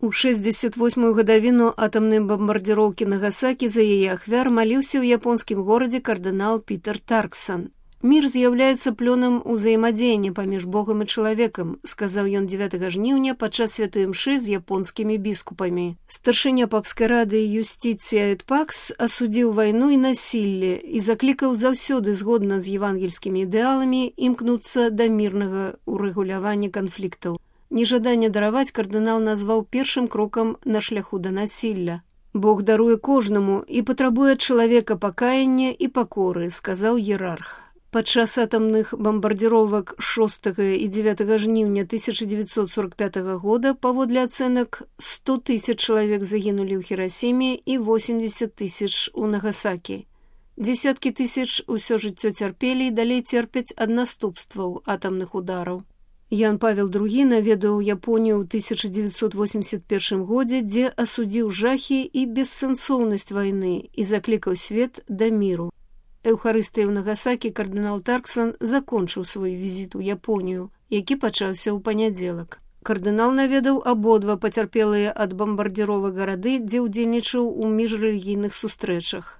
У 68-ю гадавіну атамнай бамбардзіроўкі Нагасакі за яе ахвяр маліўся ў японскім горадзе кардынал Пітер Тарксан. «Мир з'яўляецца плёнам узаемадзеяння паміж Богам і чалавекам», сказаў ён 9 жніўня падчас святой імшы з японскімі біскупамі. Старшыня папскай рады Юстиція эт Пакс асудзіў вайну і насілле і заклікаў заўсёды згодна з евангельскімі ідэаламі імкнуцца да мірнага урэгулявання канфліктаў. Нежаданне дараваць кардынал назваў першым крокам на шляху да насілля. «Бог даруе кожнаму і патрабуе ад чалавека пакаяння і пакоры», сказаў іерарх. Падчас атамных бамбардзіровак 6 і 9 жніўня 1945 года, паводле ацэнак, 100 000 чалавек загінулі ў Хірасіме і 80 000 у Нагасакі. Дзесяткі тысяч усё жыццё цярпелі і далей церпяць ад наступстваў атамных удараў. Ян Павел II наведаў Японію ў 1981 годзе, дзе асудзіў жахі і бессэнсоўнасць вайны і заклікаў свет да міру. Эўхарыстыяй у Нагасакі кардынал Тарксан закончыў свой візіт у Японію, які пачаўся ў панядзелак. Кардынал наведаў абодва пацярпелыя ад бамбардзіровак гарады, дзе ўдзельнічаў у міжрэлігійных сустрэчах.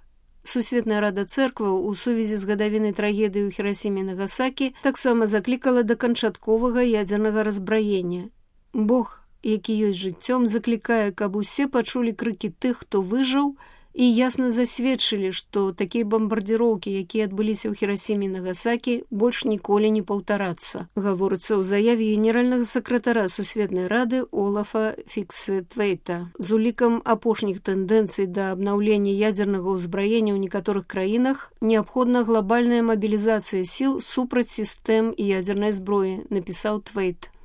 Сусветная рада цэркваў у сувязі з гадавінай трагедыі ў Хірасіме і Нагасакі таксама заклікала да канчатковага ядзернага разбраення. Бог, які ёсць жыццём, заклікае, каб усе пачулі крыкі тых, хто выжыў, і ясна засведчылі, што такія бамбардзіроўкі, якія адбыліся ў Хірасіме і Нагасакі, больш ніколі не паўтарацца, гаворыцца ў заяве генеральнага сакратара Сусветнай рады Олафа Фіксетвейта. З улікам апошніх тэндэнцый да абнаўлення ядзернага ўзбраення ў некаторых краінах неабходна глобальная мабілізацыя сіл супраць сістэм ядзернай зброі, напісаў Твейт.